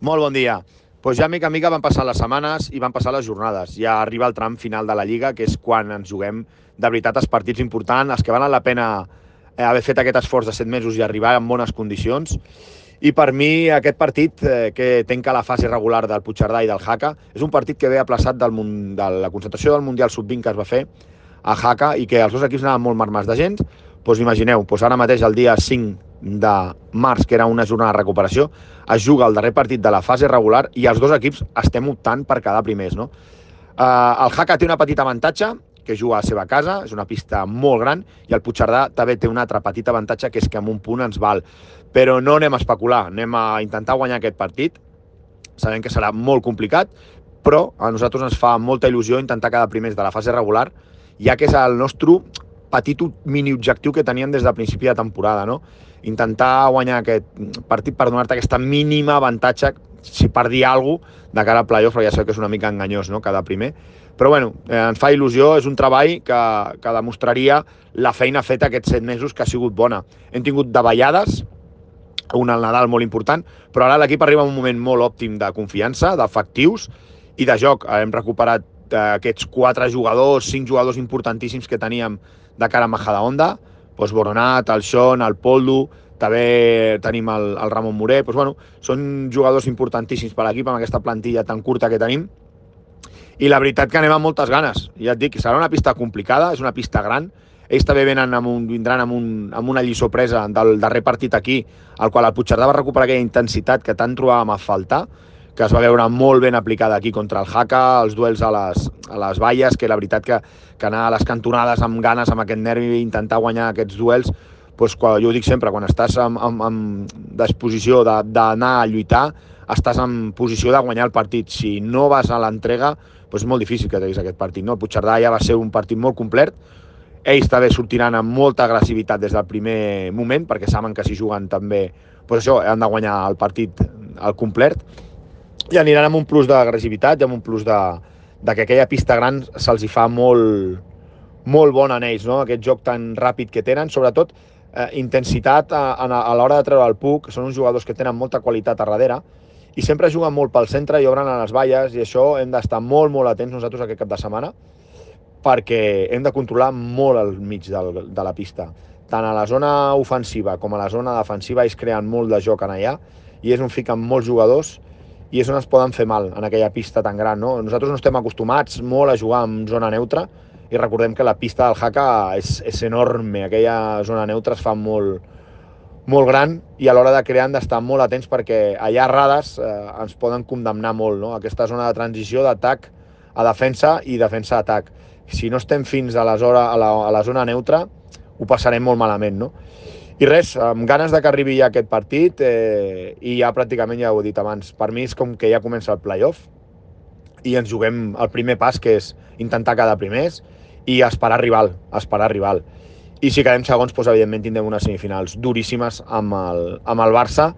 Molt bon dia. Doncs ja mica en mica van passar les setmanes i van passar les jornades. Ja arriba el tram final de la Lliga, que és quan ens juguem de veritat els partits importants, els que valen la pena haver fet aquest esforç de 7 mesos i arribar en bones condicions. I per mi aquest partit, que tanca la fase regular del Puigcerdà i del Jaca, és un partit que ve aplaçat de la concentració del Mundial Sub-20 que es va fer a Jaca i que els dos equips anaven molt marmats de gent. Doncs imagineu, ara mateix el dia 5 de març, que era una jornada de recuperació, es juga el darrer partit de la fase regular i els dos equips estem optant per quedar primers, no? El Jaca té una petita avantatge, que juga a la seva casa, és una pista molt gran, i el Puigcerdà també té un altre petit avantatge, que és que amb un punt ens val. Però no anem a especular, anem a intentar guanyar aquest partit. Sabem que serà molt complicat, però a nosaltres ens fa molta il·lusió intentar quedar primers de la fase regular, ja que és el nostre petit mini-objectiu que teníem des del principi de temporada, no? Intentar guanyar aquest partit per donar-te aquesta mínima avantatge, si per dir alguna cosa, de cara al playoff, però ja sé que és una mica enganyós, no?, quedar primer. Però bueno, ens fa il·lusió, és un treball que demostraria la feina feta aquests 7 mesos, que ha sigut bona. Hem tingut davallades, un al Nadal molt important, però ara l'equip arriba en un moment molt òptim de confiança, d'efectius i de joc. Hem recuperat aquests 4 jugadors, 5 jugadors importantíssims que teníem de cara a Majadahonda, doncs Boronat, el Sean, el Poldo, també tenim el Ramon Moré. Doncs, bueno, són jugadors importantíssims per l'equip amb aquesta plantilla tan curta que tenim, i la veritat que anem amb moltes ganes. Ja et dic, serà una pista complicada, és una pista gran. Ells també vindran amb una lliçó presa del darrer partit aquí, al qual el Puigcerdà va recuperar aquella intensitat que tant trobàvem a faltar, que es va veure molt ben aplicada aquí contra el Jaca, els duels a les valles, que la veritat que anar a les cantonades amb ganes, amb aquest nervi, intentar guanyar aquests duels, doncs, jo ho dic sempre, quan estàs en disposició d'anar a lluitar, estàs en posició de guanyar el partit. Si no vas a l'entrega, doncs és molt difícil que treguis aquest partit, no? El Puigcerdà ja va ser un partit molt complet. Ells també sortiran amb molta agressivitat des del primer moment, perquè saben que si juguen també, doncs això, han de guanyar el partit al complet, i aniran amb un plus d'agressivitat i amb un plus de que aquella pista gran se'ls hi fa molt, molt bona en ells, no? Aquest joc tan ràpid que tenen, sobretot intensitat a l'hora de treure el puck. Són uns jugadors que tenen molta qualitat a darrere i sempre juguen molt pel centre i obren a les valles, i això hem d'estar molt, molt atents nosaltres aquest cap de setmana, perquè hem de controlar molt el mig de la pista. Tant a la zona ofensiva com a la zona defensiva ells creen molt de joc en allà, i és on fiquen molts jugadors i és on es poden fer mal, en aquella pista tan gran, no? Nosaltres no estem acostumats molt a jugar en zona neutra, i recordem que la pista del Jaca és enorme, aquella zona neutra es fa molt, molt gran, i a l'hora de crear hem d'estar molt atents, perquè allà errades ens poden condemnar molt, no? Aquesta zona de transició d'atac a defensa i defensa a atac. Si no estem fins a la zona neutra, ho passarem molt malament, no? I res, amb ganes de que arribi ja aquest partit, i ja pràcticament ja ho he dit abans, per mi és com que ja comença el playoff i ens juguem el primer pas, que és intentar quedar primers i esperar rival. I si quedem segons, doncs, evidentment tindrem unes semifinals duríssimes amb el Barça,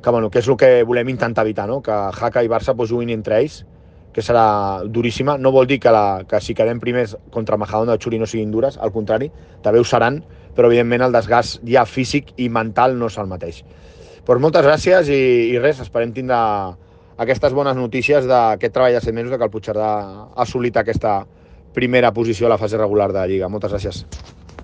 que és el que volem intentar evitar, no? Que Jaca i Barça juguin entre ells, que serà duríssima. No vol dir que si quedem primers contra Majadahonda o Xuri no siguin dures, al contrari, també ho seran, però evidentment el desgast ja físic i mental no és el mateix. Doncs moltes gràcies i res, esperem tindre aquestes bones notícies d'aquest treball de 7 mesos, que el Puigcerdà ha assolit aquesta primera posició a la fase regular de la Lliga. Moltes gràcies.